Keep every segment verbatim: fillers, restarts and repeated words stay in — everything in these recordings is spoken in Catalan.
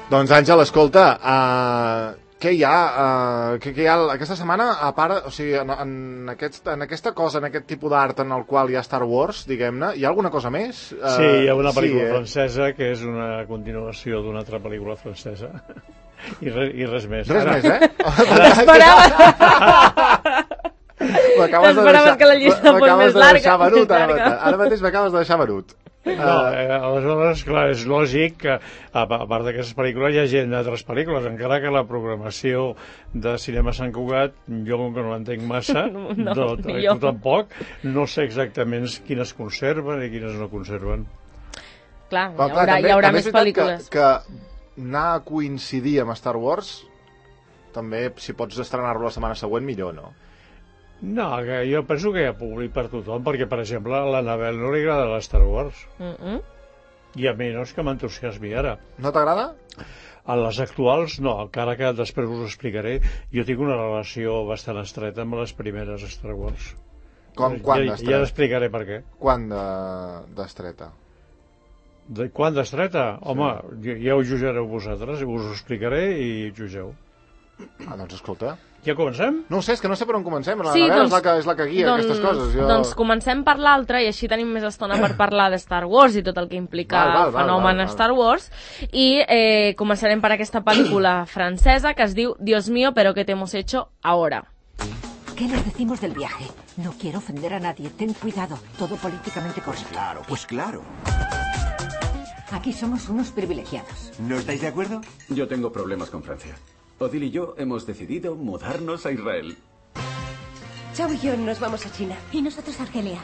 Doncs, Àngel, escolta, uh, què hi ha, uh, què, què hi ha aquesta setmana, a part, o sigui, en, en, aquest, en aquesta cosa, en aquest tipus d'art en el qual hi ha Star Wars, diguem-ne, hi ha alguna cosa més? Uh, sí, hi ha una pel·lícula sí, eh? francesa que és una continuació d'una altra pel·lícula francesa. I, re, i res més. Res Ara, més, eh? T'esperava! T'esperaves que la llista fos més de larga. Deixar venut, ara, ara mateix m'acabes de deixar venut. No, eh, aleshores, clar, és lògic que a, a part d'aquestes pel·lícules hi ha gent d'altres pel·lícules, encara que la programació de Cinema Sant Cugat, jo com que no l'entenc massa, no, no, no tu tampoc, no sé exactament quines conserven i quines no conserven. Clar, hi haurà, clar, també, hi haurà més pel·lícules. Que, que anar a coincidir amb Star Wars, també, si pots estrenar-lo la setmana següent, millor, no? No, que jo penso que hi ha públic per tothom, perquè, per exemple, a l'Anabel no li agrada la Star Wars. Mm -mm. I a mi no és que m'entusiasmi ara. No t'agrada? A les actuals, no, encara que després us ho explicaré. Jo tinc una relació bastant estreta amb les primeres Star Wars. Com, quan ja, d'estreta? Ja t'explicaré per què. Quan d'estreta? De, quan d'estreta? Home, sí. ja ho jutjareu vosaltres, us ho explicaré i jutgeu. Ah, doncs escolta... Ja comencem? No ho sé, és que no sé per on comencem. La sí, Anabel doncs, és, la que, és la que guia doncs, aquestes coses. Jo... Doncs comencem per l'altra i així tenim més estona per parlar de Star Wars i tot el que implica val, val, el fenomen val, val, val. Star Wars. I eh, començarem per aquesta pel·lícula francesa que es diu Dios mío, pero ¿qué te hemos hecho ahora? ¿Qué nos decimos del viaje? No quiero ofender a nadie. Ten cuidado. Todo políticamente correcto. Pues claro, pues claro. Aquí somos unos privilegiados. ¿No estáis de acuerdo? Yo tengo problemas con Francia. Odile y yo hemos decidido mudarnos a Israel. Chao y yo nos vamos a China. Y nosotros a Argelia.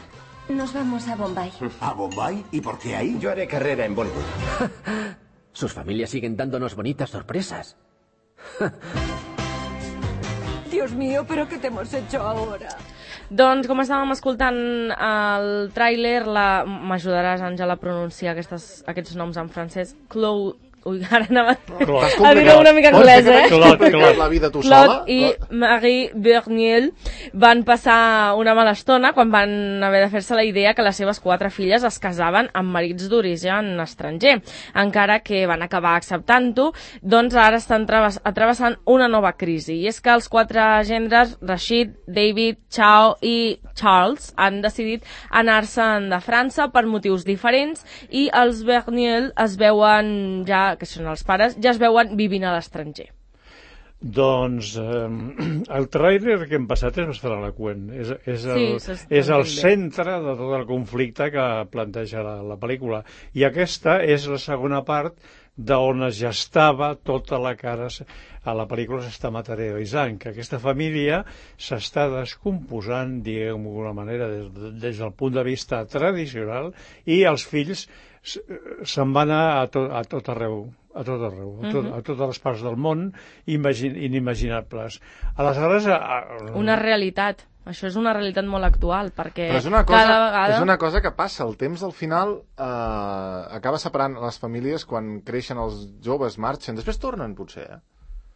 Nos vamos a Bombay. ¿A Bombay? ¿Y por qué ahí? Yo haré carrera en Bollywood. Sus familias siguen dándonos bonitas sorpresas. Dios mío, ¿pero qué te hemos hecho ahora? Doncs, com estàvem escoltant el tràiler, la... m'ajudaràs, Àngela, a pronunciar aquestes, aquests noms en francès. Chloe... Ui, ara anava a dir una mica anglès, eh? Claude, Claude, la vida tu sola? Claude i Marie Berniel van passar una mala estona quan van haver de fer-se la idea que les seves quatre filles es casaven amb marits d'origen estranger. Encara que van acabar acceptant-ho, doncs ara estan travessant una nova crisi. I és que els quatre gendres, Rashid, David, Chao i Charles, han decidit anar-se'n de França per motius diferents i els Berniel es veuen ja que són els pares, ja es veuen vivint a l'estranger. Doncs eh, el tràiler que hem passat és bastant eloqüent. És, és, el, sí, és el centre de tot el conflicte que planteja la, la pel·lícula. I aquesta és la segona part d'on es gestava tota la cara a la pel·lícula s'està materialitzant, que aquesta família s'està descomposant, diguem-ho d'alguna manera, des, des del punt de vista tradicional, i els fills se'n van anar a tot, a tot arreu, a tot arreu, a, tot, a totes les parts del món imagin, inimaginables. Aleshores... A... Una realitat. Això és una realitat molt actual, perquè Però és una cosa, cada vegada... És una cosa que passa. El temps, al final, eh, acaba separant les famílies quan creixen els joves, marxen. Després tornen, potser, eh?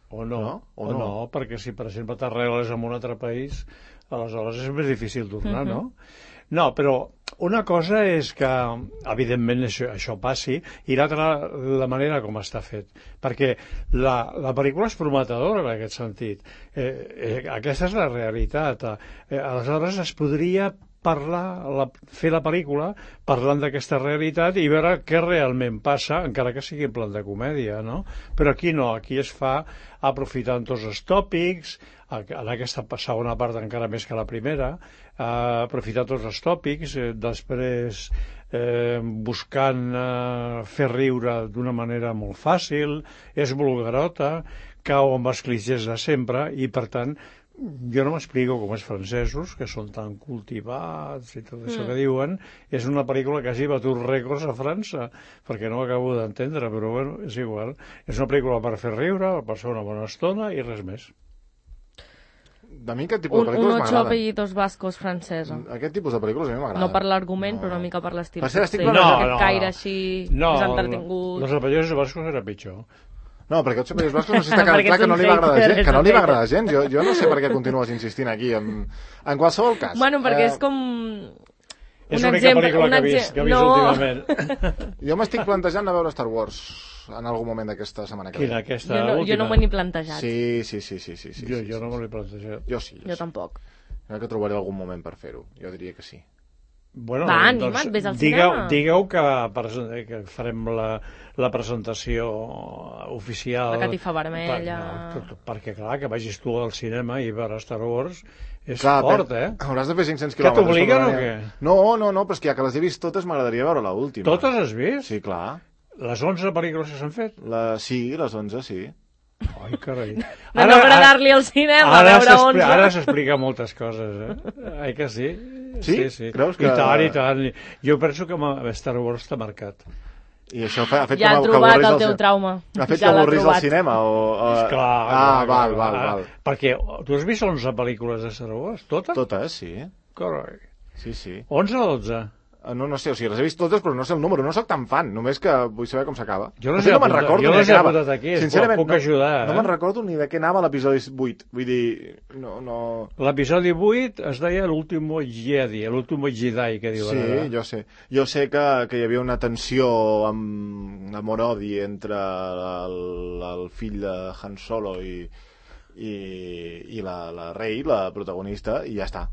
O no, no? O, o no. no, perquè si, per exemple, t'arregles en un altre país, aleshores és més difícil tornar, uh-huh. no? No, però una cosa és que, evidentment, això, això passi, i l'altra, la manera com està fet. Perquè la, la pel·lícula és prometedora en aquest sentit. Eh, eh, aquesta és la realitat. Eh, aleshores, es podria parlar, la, fer la pel·lícula parlant d'aquesta realitat i veure què realment passa, encara que sigui en plan de comèdia, no? Però aquí no, aquí es fa aprofitant tots els tòpics, en aquesta segona part encara més que la primera, eh, aprofitar tots els tòpics, eh, després eh, buscant eh, fer riure d'una manera molt fàcil, és vulgarota, cau amb els clixés de sempre i, per tant, jo no m'explico com els francesos, que són tan cultivats i tot això mm. que diuen, és una pel·lícula que hagi batut rècords a França, perquè no ho acabo d'entendre, però bueno, és igual. És una pel·lícula per fer riure, per passar una bona estona i res més. A mi aquest tipus de pel·lícules m'agraden. Un ocho apellidos vascos francesa. Aquest tipus de pel·lícules a mi m'agraden. No per l'argument, no. però una mica per l'estil. Per ser estic no, aquest no, caire així, no, més entretingut. No, els apellidos vascos era pitjor. No, perquè els apellidos vascos no sé si està quedant clar que no li va agradar gens. Que no li va agradar gens. Jo, jo no sé per què continues insistint aquí. En, en qualsevol cas. Bueno, perquè eh... és com... És l'única pel·lícula que he vist, que he vist no. últimament. Jo m'estic plantejant a veure Star Wars. en algun moment d'aquesta setmana que ve. Quina, aquesta jo no, última? Jo no m'ho he ni plantejat. Sí, sí, sí, sí, sí, sí, jo, sí, jo sí, no sí. m'ho he plantejat. Jo sí. Jo, jo sí. tampoc. Crec que trobaré algun moment per fer-ho. Jo diria que sí. Bueno, Va, doncs, anima't, vés al digueu, cinema. Digueu que, que farem la, la presentació oficial. La catifa vermella. Per, no, perquè, clar, que vagis tu al cinema i veure Star Wars és clar, fort, per, eh? Hauràs de fer cinc-cents Que quilòmetres. t'obliguen o què? No, no, no, però és que ja que les he vist totes m'agradaria veure l'última. Totes has vist? Sí, clar. Les onze pel·lícules que s'han fet? La... Sí, les onze, sí. Ai, carai. De no agradar-li al cinema, ara veure onze. Ara s'explica moltes coses, eh? Ai que sí? Sí? Sí, sí. Creus que... I tant, i tant. Jo penso que Star Wars t'ha marcat. I això ha fet ja que, ha trobat que el teu trauma. Ha fet ja que avorrís al cinema? O, o... Esclar, ah, clar, val, clar, val, clar. val. Perquè tu has vist onze pel·lícules de Star Wars? Totes? Totes, sí. Carai. Sí, sí. onze o dotze? No, no sé, o sigui, les he vist totes, però no sé el número, no sóc tan fan, només que vull saber com s'acaba. Jo no sé, no me'n apuntat, recordo jo ni no de sé què anava. apuntat aquí, Sincerament, puc no, ajudar. No eh? me'n recordo ni de què anava l'episodi vuit, vull dir, no... no... L'episodi vuit es deia l'último Jedi, l'último Jedi, que diuen sí, ara. Sí, jo sé. Jo sé que, que hi havia una tensió amb amor-odi entre el, el fill de Han Solo i, i, i la, la Rey, la protagonista, i ja està.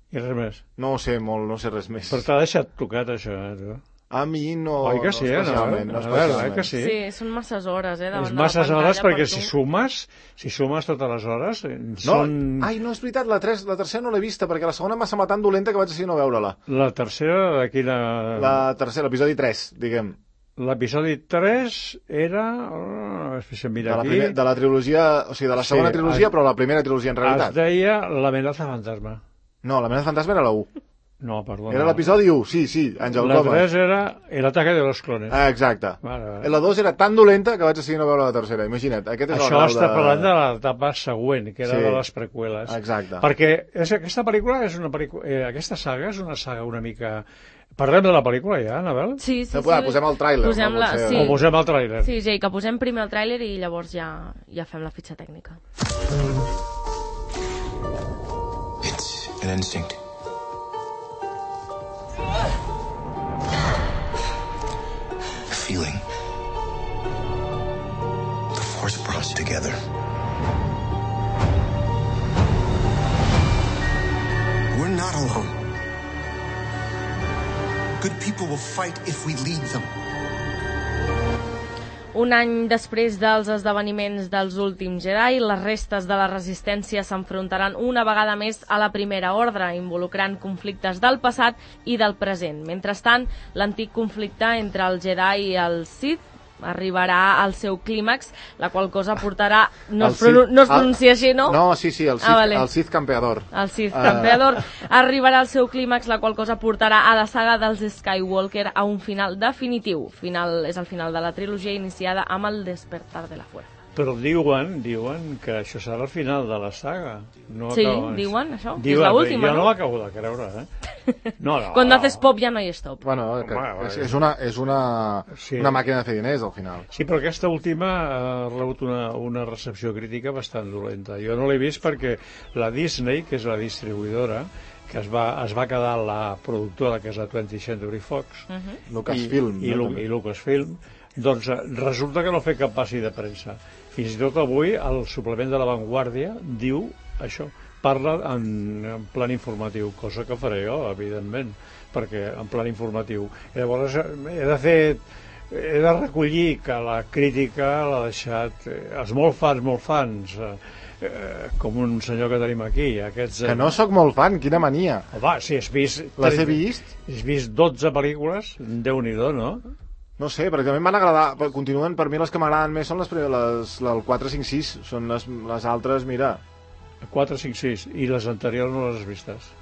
I res més. No ho sé molt, no sé res més. Però t'ha deixat tocat, això, eh, tu? A mi no, Oi que sí, no especialment. No? No A veure, especialment. eh, que sí? Sí, són masses hores, eh, davant és de la masses pantalla hores perquè per si tu. sumes, si sumes totes les hores, No, són... ai, no, és veritat, la, tres, la tercera no l'he vista, perquè la segona m'ha semblat tan dolenta que vaig decidir no veure-la. La tercera, de quina... La tercera, l'episodi tres, diguem. L'episodi tres era... Oh, mira de, la aquí... primer, de la trilogia, o sigui, de la segona sí, trilogia, es, però la primera trilogia en realitat. Es deia l'amenaça fantasma. No, l'amenaça fantasma era la u. No, perdona. Era l'episodi u, sí, sí, Àngel La Comas. tres era el ataque de los clones. Ah, exacte. Vale, vale. La dos era tan dolenta que vaig decidir no veure la tercera, imagina't. Aquest és Això el està de... parlant de l'etapa següent, que era sí, de les preqüeles. Exacte. Perquè és, aquesta pel·lícula és una pel·lícula... Eh, aquesta saga és una saga una mica... Parlem de la pel·lícula ja, Anabel? Sí, sí, no, sí. Posem el tràiler. Posem no, la... sí. O posem el tràiler. Sí, Jay, que posem primer el tràiler i llavors ja, ja fem la fitxa tècnica. It's an instinct. A feeling. The force brought us together. We're not alone. Good people will fight if we lead them. Un any després dels esdeveniments dels últims Jedi, les restes de la resistència s'enfrontaran una vegada més a la Primera Ordre, involucrant conflictes del passat i del present. Mentrestant, l'antic conflicte entre el Jedi i el Sith arribarà al seu clímax, la qual cosa portarà... No, es, pronu no es pronuncia així, no? No, sí, sí, el Sith, ah, vale. el Sith campeador. El Sith campeador. Uh... Arribarà al seu clímax, la qual cosa portarà a la saga dels Skywalker a un final definitiu. Final, és el final de la trilogia iniciada amb el Despertar de la Fuerza. Però diuen, diuen que això serà el final de la saga. No sí, acaba... diuen això, diuen, és l'última, jo no? Jo no l'acabo de creure, eh? No, no. Quan haces pop ja no hi és top. Bueno, que és, és, una, és una, sí. una màquina de fer diners, al final. Sí, però aquesta última ha rebut una, una recepció crítica bastant dolenta. Jo no l'he vist perquè la Disney, que és la distribuïdora, que es va, es va quedar la productora, que és la twentieth Century Fox, uh -huh. Lucasfilm, i, i, no? i Lucasfilm, doncs resulta que no fa cap passi de premsa. Fins i tot avui el suplement de La Vanguardia diu això, parla en, en plan informatiu, cosa que faré jo, evidentment, perquè en plan informatiu. I llavors he de fer, he de recollir que la crítica l'ha deixat eh, els molt fans, molt fans, eh, eh, com un senyor que tenim aquí. Aquests, eh... Que no sóc molt fan, quina mania. Va, si has vist... Les he vist? Has vist dotze pel·lícules, Déu-n'hi-do, no? No sé, perquè a mi em van agradar, continuen, per mi les que m'agraden més són les, les, les quatre, cinc, sis, són les, les altres, mira... quatre, cinc, sis, i les anteriors no les has vistes?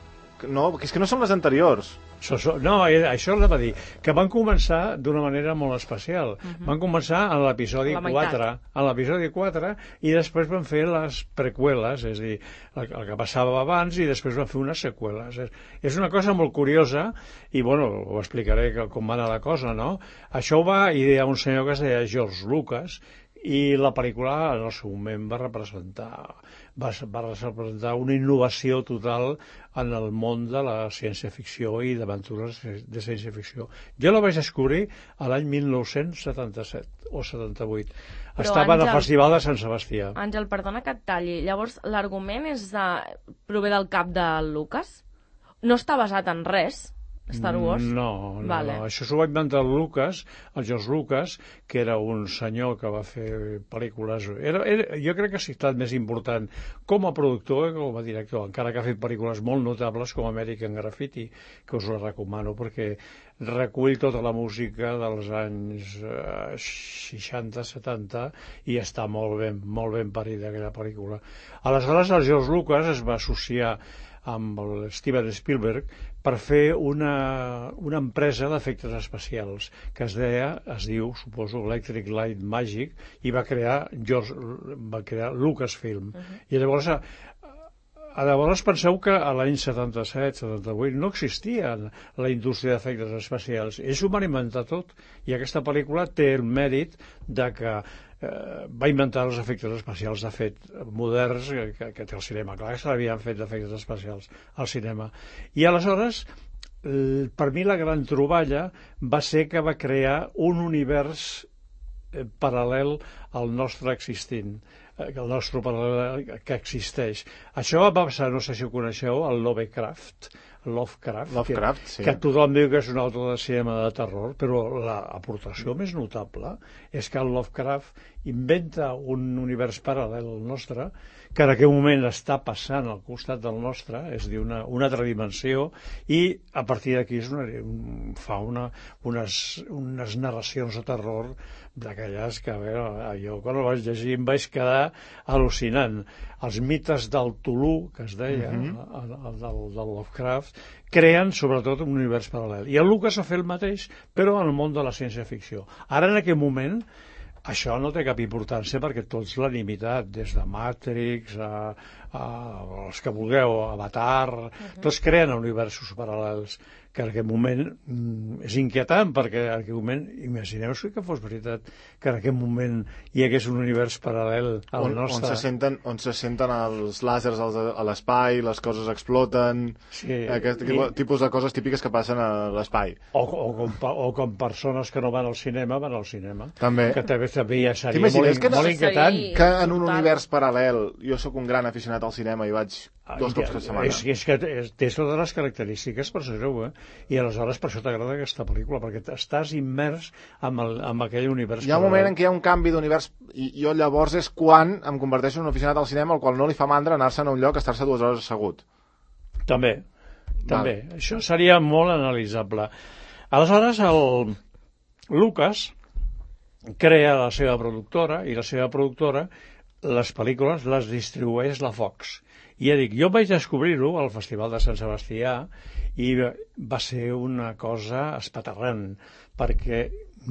No, és que no són les anteriors. So, so, no, això és a dir, que van començar d'una manera molt especial. Uh -huh. Van començar en l'episodi quatre, en l'episodi quatre, i després van fer les preqüeles, és a dir, el, el que passava abans, i després van fer unes seqüeles. És, és una cosa molt curiosa, i bueno, ho explicaré com va anar la cosa, no? Això ho va idear un senyor que es deia George Lucas, I la pel·lícula, en el seu moment, va representar, va, va representar una innovació total en el món de la ciència-ficció i d'aventures de ciència-ficció. Jo la vaig descobrir a l'any mil nou-cents setanta-set o setanta-vuit. Però Estava Àngel, al Festival de Sant Sebastià. Àngel, perdona que et talli. Llavors, l'argument és de... prové del cap de Lucas? No està basat en res? Star Wars? No, no, vale. no. Això s'ho va inventar el Lucas, el George Lucas, que era un senyor que va fer pel·lícules... Era, era, jo crec que ha estat més important com a productor que com a director, encara que ha fet pel·lícules molt notables com American Graffiti, que us la recomano, perquè recull tota la música dels anys eh, seixanta setanta i està molt ben, molt ben parida aquella pel·lícula. Aleshores, el George Lucas es va associar amb el Steven Spielberg per fer una, una empresa d'efectes especials que es deia, es diu, suposo, Electric Light Magic, i va crear George, va crear Lucasfilm. Uh-huh. I llavors, a, a llavors penseu que a l'any setanta-set setanta-vuit no existia la indústria d'efectes especials. Ells ho van inventar tot, i aquesta pel·lícula té el mèrit de que Eh, va inventar els efectes especials de fet moderns que, que té el cinema. Clar que s'havien fet d'efectes especials al cinema. I aleshores, eh, per mi la gran troballa va ser que va crear un univers eh, paral·lel al nostre existint, eh, el nostre paral·lel que existeix. Això va passar, no sé si ho coneixeu, el Lovecraft, Lovecraft, Lovecraft que, sí. que tothom diu que és un autor de cinema de terror, però l'aportació més notable és que el Lovecraft inventa un univers paral·lel al nostre, que en aquell moment està passant al costat del nostre, és a dir, una, una altra dimensió, i a partir d'aquí és una, un, fa una, unes, unes narracions de terror d'aquelles que, a veure, jo quan ho vaig llegir em vaig quedar al·lucinant. Els mites del Tulu, que es deia, uh-huh. el, el, del, del Lovecraft, creen sobretot un univers paral·lel. I el Lucas ha fet el mateix, però en el món de la ciència-ficció. Ara, en aquest moment, això no té cap importància perquè tots l'han imitat, des de Matrix a, a els que vulgueu, Avatar, uh-huh. tots creen universos paral·lels, que en aquest moment mm, és inquietant, perquè en aquest moment, imagineu-vos que fos veritat que en aquest moment hi hagués un univers paral·lel al on, nostre. On se senten, on se senten els làsers a l'espai, les coses exploten, sí, aquest i... tipus de coses típiques que passen a l'espai. O, o, com, o com persones que no van al cinema, van al cinema. També. Que també, també ja seria molt, que no, molt inquietant. Que en un univers paral·lel, jo sóc un gran aficionat al cinema i vaig dos cops per setmana. És, és que té totes les característiques per ser-ho, eh? I aleshores per això t'agrada aquesta pel·lícula, perquè estàs immers en, el, en aquell univers. Hi ha un moment en què hi ha un canvi d'univers i jo llavors és quan em converteixo en un aficionat al cinema al qual no li fa mandra anar-se'n a un lloc a estar-se dues hores assegut. També, també. Val. Això seria molt analitzable. Aleshores, el Lucas crea la seva productora i la seva productora les pel·lícules les distribueix la Fox. I ja dic, jo vaig descobrir-ho al Festival de Sant Sebastià i va ser una cosa espaterrant, perquè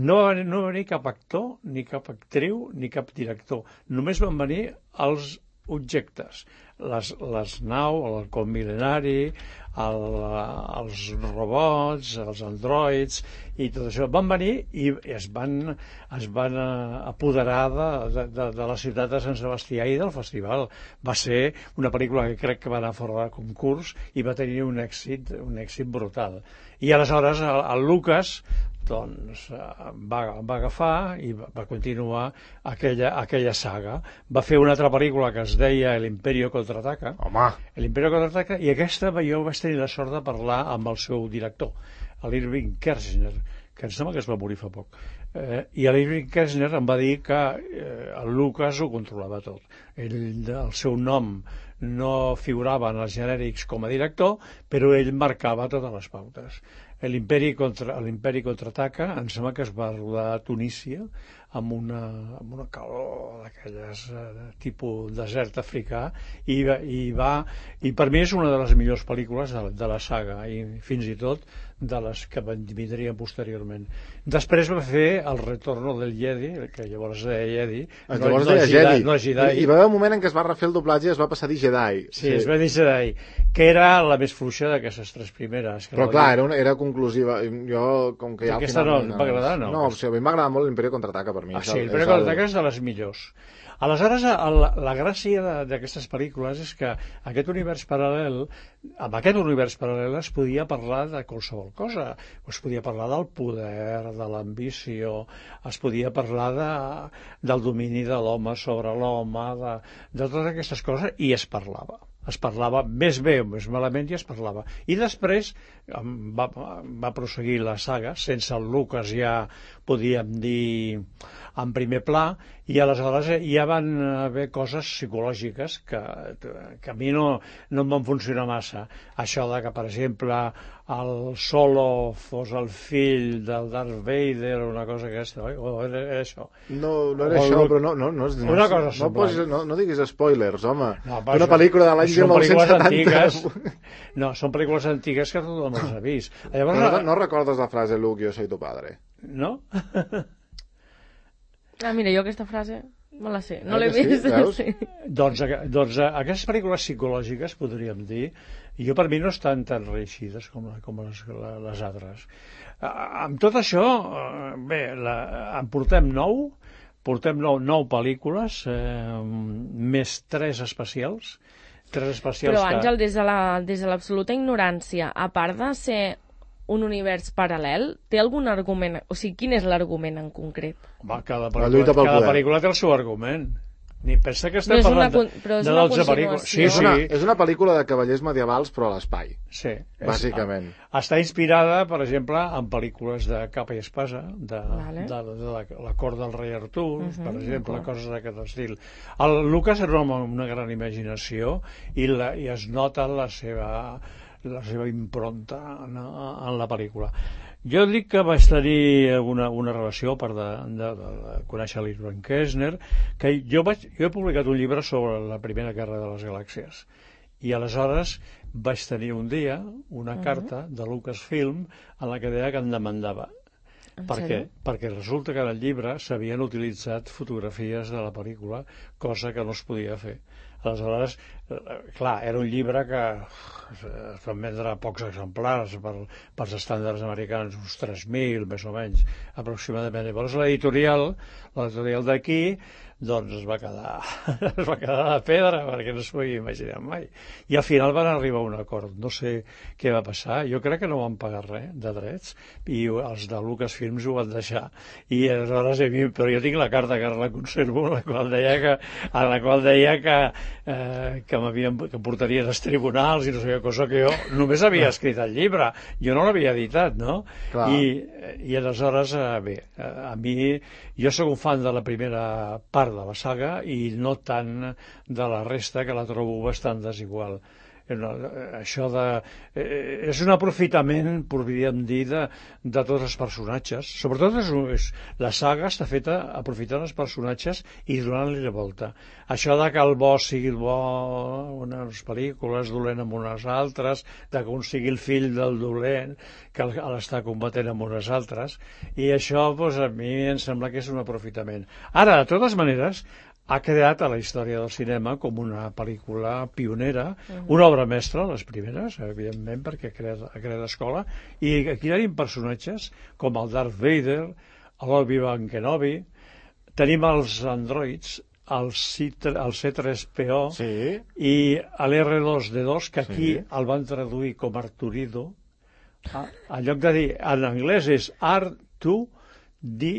no va, no va venir cap actor, ni cap actriu, ni cap director. Només van venir els objectes, les, les nau, el halcó mil·lenari, el, els robots, els androids i tot això. Van venir i es van, es van apoderar de, de, de la ciutat de Sant Sebastià i del festival. Va ser una pel·lícula que crec que va anar fora de concurs i va tenir un èxit, un èxit brutal. I aleshores el, el Lucas doncs va, va agafar i va, va continuar aquella, aquella saga. Va fer una altra pel·lícula que es deia El Imperio Contraataca. Home! El Imperio Contraataca, i aquesta jo vaig tenir la sort de parlar amb el seu director, l'Irving Kershner, que em sembla que es va morir fa poc. Eh, I l'Irving Kershner em va dir que eh, el Lucas ho controlava tot. Ell, el seu nom no figurava en els genèrics com a director, però ell marcava totes les pautes. L'Imperi contra, l'Imperi contraataca, em sembla que es va rodar a Tunísia amb una, amb una calor d'aquelles eh, tipus desert africà i, i, va, i per mi és una de les millors pel·lícules de, de la saga i fins i tot de les que vindrien posteriorment. Després va fer El Retorno del Jedi, que llavors es deia Jedi, no, llavors no, deia Jedi. No Jedi. I, I va haver un moment en què es va refer el doblatge i es va passar a dir Jedi. Sí, sí, es va dir Jedi, que era la més fluixa d'aquestes tres primeres. Però clar, era, un, era un conclusiva. Jo, com que ja al Aquesta final... no, va agradar, no? No, o sigui, a mi m'agrada molt l'Imperio Contraataca, per mi. Ah, sí, l'Imperio Contraataca és de les millors. Aleshores, la, la gràcia d'aquestes pel·lícules és que aquest univers paral·lel, amb aquest univers paral·lel es podia parlar de qualsevol cosa. Es podia parlar del poder, de l'ambició, es podia parlar de, del domini de l'home sobre l'home, de, de totes aquestes coses, i es parlava. Es parlava més bé o més malament i es parlava. I després va, va prosseguir la saga, sense el Lucas ja podíem dir en primer pla, i aleshores ja van haver coses psicològiques que, que a mi no, no em van funcionar massa. Això de que, per exemple, el Solo fos el fill del Darth Vader o una cosa aquesta, oi? O era, era això. No, no era o això, el... però no, no, no, no, una cosa no, posis, no, no diguis spoilers, home. No, una pel·lícula de l'any mil nou-cents setanta. No, són pel·lícules antigues que tothom les ha vist. Llavors, no, no recordes la frase Luke, yo soy tu padre? No? Ah, mira, jo aquesta frase me la sé, no l'he sí, vist. Sí. Doncs, doncs aquestes pel·lícules psicològiques, podríem dir, jo per mi no estan tan reeixides com, com les, les altres. Amb tot això, bé, la, en portem nou, portem nou, nou pel·lícules, eh, més tres especials, tres especials. Però, Àngel, que... des de l'absoluta la, ignorància, a part de ser un univers paral·lel, té algun argument? O sigui, quin és l'argument en concret? Home, cada pel·lícula, cada pel·lícula té el seu argument. Ni pensa que estem parlant de, de dotze pel·lícules. Sí, és, una, sí. és una pel·lícula de cavallers medievals, però a l'espai. Sí. Bàsicament. És, està inspirada, per exemple, en pel·lícules de capa i espasa, de, vale. de, de, de la, la cort del rei Artur, uh -huh, per exemple, coses d'aquest estil. El Lucas era un home amb una gran imaginació i, la, i es nota la seva... la seva impronta en, en la pel·lícula. Jo dic que vaig tenir una, una relació, a part de, de, de, de conèixer l'Irving Kessner, que jo, vaig, jo he publicat un llibre sobre la Primera Guerra de les Galàxies, i aleshores vaig tenir un dia una uh -huh. carta de Lucasfilm en la que deia que em demandava. Per què? Perquè resulta que en el llibre s'havien utilitzat fotografies de la pel·lícula, cosa que no es podia fer. Aleshores, clar, era un llibre que es van vendre pocs exemplars per, pels estàndards americans, uns tres mil, més o menys, aproximadament. Llavors l'editorial, l'editorial d'aquí, doncs es va quedar es va quedar de pedra, perquè no s'ho havia imaginat mai. I al final van arribar a un acord. No sé què va passar. Jo crec que no van pagar res de drets, i els de Lucasfilms ho van deixar. I aleshores, però jo tinc la carta que la conservo, en la qual deia que, en la qual deia que Eh, que m'havien que portarien als tribunals i no sé què, cosa que jo només havia escrit el llibre, jo no l'havia editat, no? Clar. I, i aleshores, eh, bé, a mi jo sóc un fan de la primera part de la saga i no tant de la resta, que la trobo bastant desigual. Això de... Eh, és un aprofitament, podríem dir, de, de tots els personatges. Sobretot és, és, la saga està feta aprofitant els personatges i donant-li la volta. Això de que el bo sigui el bo unes pel·lícules, dolent amb unes altres, de que un sigui el fill del dolent, que l'està combatent amb unes altres, i això, doncs, a mi em sembla que és un aprofitament. Ara, de totes maneres, ha creat a la història del cinema com una pel·lícula pionera, uh-huh. una obra mestra, les primeres, evidentment, perquè ha creat, ha creat escola, i aquí tenim personatges com el Darth Vader, l'Obi-Wan Kenobi, tenim els androids, el C tres P O sí. i l'R dos D dos, que aquí sí. el van traduir com Arturido. En lloc de dir, en anglès és R dos D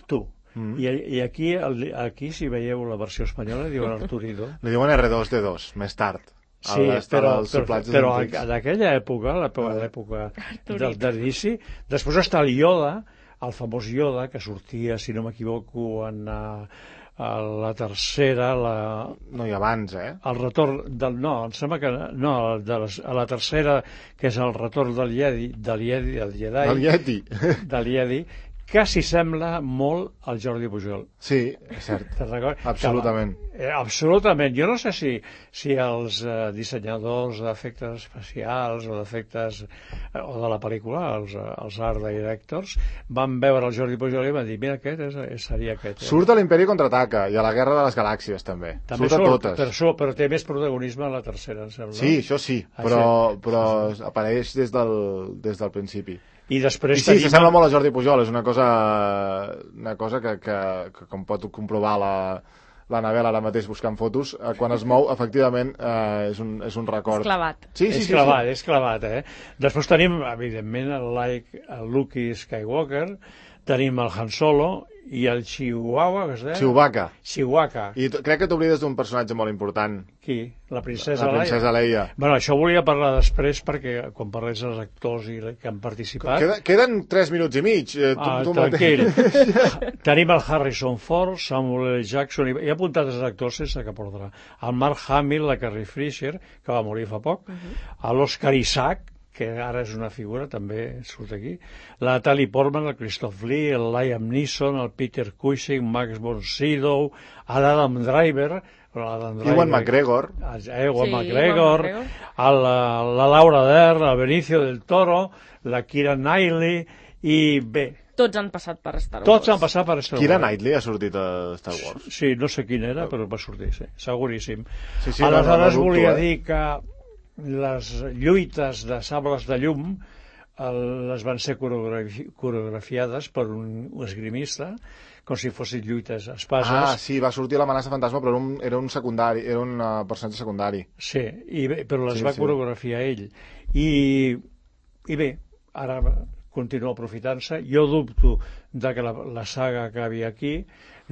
dos. Mm. I, i aquí, aquí, si veieu la versió espanyola, diuen Arturido. Li diuen R dos D dos, més tard. Sí, però, però, però en aquella època, l'època del, de l'inici, després està el Yoda, el famós Yoda, que sortia, si no m'equivoco, en uh, la tercera... La... No, i abans, eh? El retorn del... No, em sembla que... No, de les, a la tercera, que és el retorn del Jedi, del Jedi, del Jedi... Del Yeti. Del Jedi, que s'hi sembla molt al Jordi Pujol. Sí, és cert. Te'n recordes? Absolutament. Que, eh, absolutament. Jo no sé si, si els eh, dissenyadors d'efectes especials o d'efectes eh, o de la pel·lícula, els, els art directors, van veure el Jordi Pujol i van dir, mira, aquest és, és, seria aquest. Eh? Surt a l'Imperi Contraataca i a la Guerra de les Galàxies, també. També surt, surt, a totes. però, surt, però té més protagonisme a la tercera, em sembla. Sí, això sí, però, però apareix des del, des del principi. I després I sí, tenim... s'assembla molt a Jordi Pujol, és una cosa, una cosa que, que, que com pot comprovar la, l'Anabel ara mateix buscant fotos, eh, quan es mou, efectivament, eh, és, un, és un record. És clavat. Sí, sí, és sí, clavat, sí. és clavat, eh? Després tenim, evidentment, el, like, el Luke Skywalker, tenim el Han Solo i el Chihuahua, que es deia? Chewbacca. Chewbacca. I crec que t'oblides d'un personatge molt important. Qui? La princesa, la princesa Leia. Bueno, això volia parlar després perquè quan parlés dels actors i que han participat... Queda, queden tres minuts i mig. Eh, tu, ah, tu tranquil. Tenim el Harrison Ford, Samuel L. Jackson, i he apuntat els actors sense cap ordre. El Mark Hamill, la Carrie Fisher, que va morir fa poc, uh -huh. l'Oscar Isaac, que ara és una figura, també surt aquí, la Natalie Portman, el Christoph Lee, el Liam Neeson, el Peter Cushing, Max von Sydow, l'Adam Driver, Ewan McGregor, Ewan sí, McGregor, el, la Laura Dern, el Benicio del Toro, la Keira Knightley, i bé... Tots han passat per Star Wars. Tots han passat per Star Wars. Keira Knightley ha sortit a Star Wars. Sí, no sé quin era, però va sortir, sí, seguríssim. Sí, sí, aleshores no, no, no volia dubto, eh? dir que les lluites de sables de llum el, les van ser coreografi coreografiades per un, un esgrimista, com si fossin lluites espases. Ah, sí, va sortir l'amenaça fantasma, però era un, era un secundari, era un uh, personatge secundari. Sí, i bé, però les sí, va sí. coreografiar ell. I, i bé, ara continua aprofitant-se. Jo dubto de que la, la saga acabi aquí,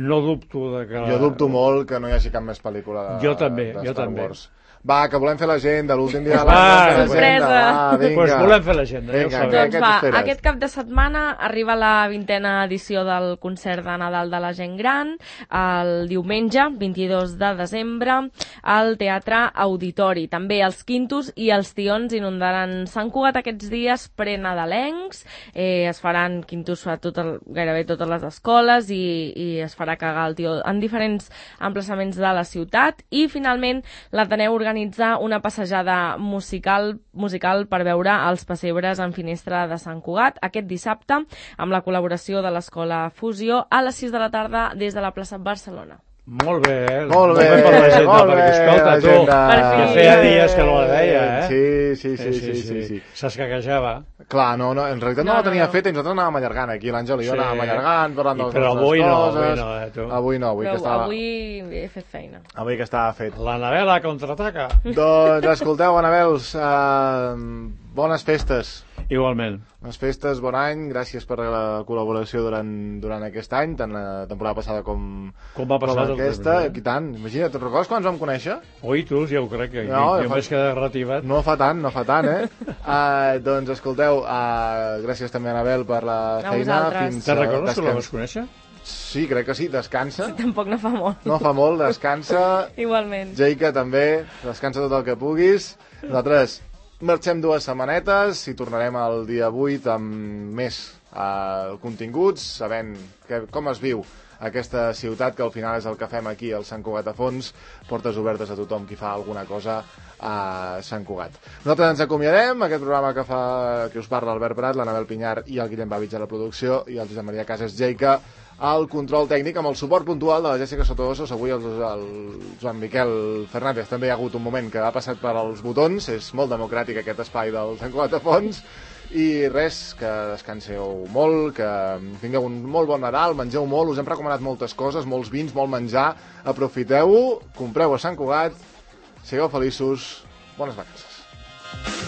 no dubto de que... La... Jo dubto molt que no hi hagi cap més pel·lícula de, jo també, de jo Star també. Wars. Va, que volem fer l'agenda, l'últim dia de l'any. Ah, sorpresa! Va, vinga. Pues volem fer l'agenda, ja ho sabeu. Doncs va, aquest cap de setmana arriba la vintena edició del concert de Nadal de la gent gran, el diumenge, vint-i-dos de desembre, al Teatre Auditori. També els quintos i els tions inundaran Sant Cugat aquests dies prenadalencs, eh, es faran quintos a tot el, gairebé totes les escoles i, i es farà cagar el tió en diferents emplaçaments de la ciutat i finalment l'Ateneu organitza organitzar una passejada musical musical per veure els pessebres en finestra de Sant Cugat aquest dissabte amb la col·laboració de l'Escola Fusió a les sis de la tarda des de la plaça Barcelona. Molt bé, eh? Molt bé, per l'agenda, molt bé, perquè escolta, tu, l'agenda. que feia dies que no la deia, eh? Sí, sí, sí, sí, sí, sí. S'escaquejava. Clar, no, no, en realitat no, no la tenia no, no. feta i nosaltres anàvem allargant aquí, l'Àngel i jo sí. anàvem allargant, parlant de les però nostres avui no, coses. avui no, eh, tu. Avui no, avui però que estava... avui he fet feina. Avui que estava fet. L'Anabela contraataca. Doncs escolteu, Anabels, uh, bones festes. Igualment. Bones festes, bon any, gràcies per la col·laboració durant, durant aquest any, tant la temporada passada com, com va passar com aquesta. I tant, imagina't, te'n recordes quan ens vam conèixer? Oi, tu, ja ho crec, que no, jo m'he quedat retivat. No fa tant, no fa tant, eh? uh, doncs escolteu, uh, gràcies també, Anabel, per la a feina. Fins, Te'n recordes que la vas conèixer? Sí, crec que sí, descansa. Sí, tampoc no fa molt. No fa molt, descansa. Igualment. Jaica també, descansa tot el que puguis. Nosaltres marxem dues setmanetes i tornarem el dia vuit amb més uh, continguts, sabent que, com es viu aquesta ciutat, que al final és el que fem aquí al Sant Cugat a Fons, portes obertes a tothom qui fa alguna cosa a Sant Cugat. Nosaltres ens acomiadem, aquest programa que fa que us parla Albert Prat, l'Anabel Pinyar i el Guillem Babich a la producció i el Josep Maria Casas Jaica al control tècnic amb el suport puntual de la Jessica Sotodosos. Avui el, el Joan Miquel Fernández també hi ha hagut un moment que ha passat per als botons, és molt democràtic aquest espai del Sant Cugat a Fons. I res, que descanseu molt, que tingueu un molt bon Nadal, mengeu molt, us hem recomanat moltes coses, molts vins, molt menjar, aprofiteu-ho, compreu a Sant Cugat, sigueu feliços, bones vacances.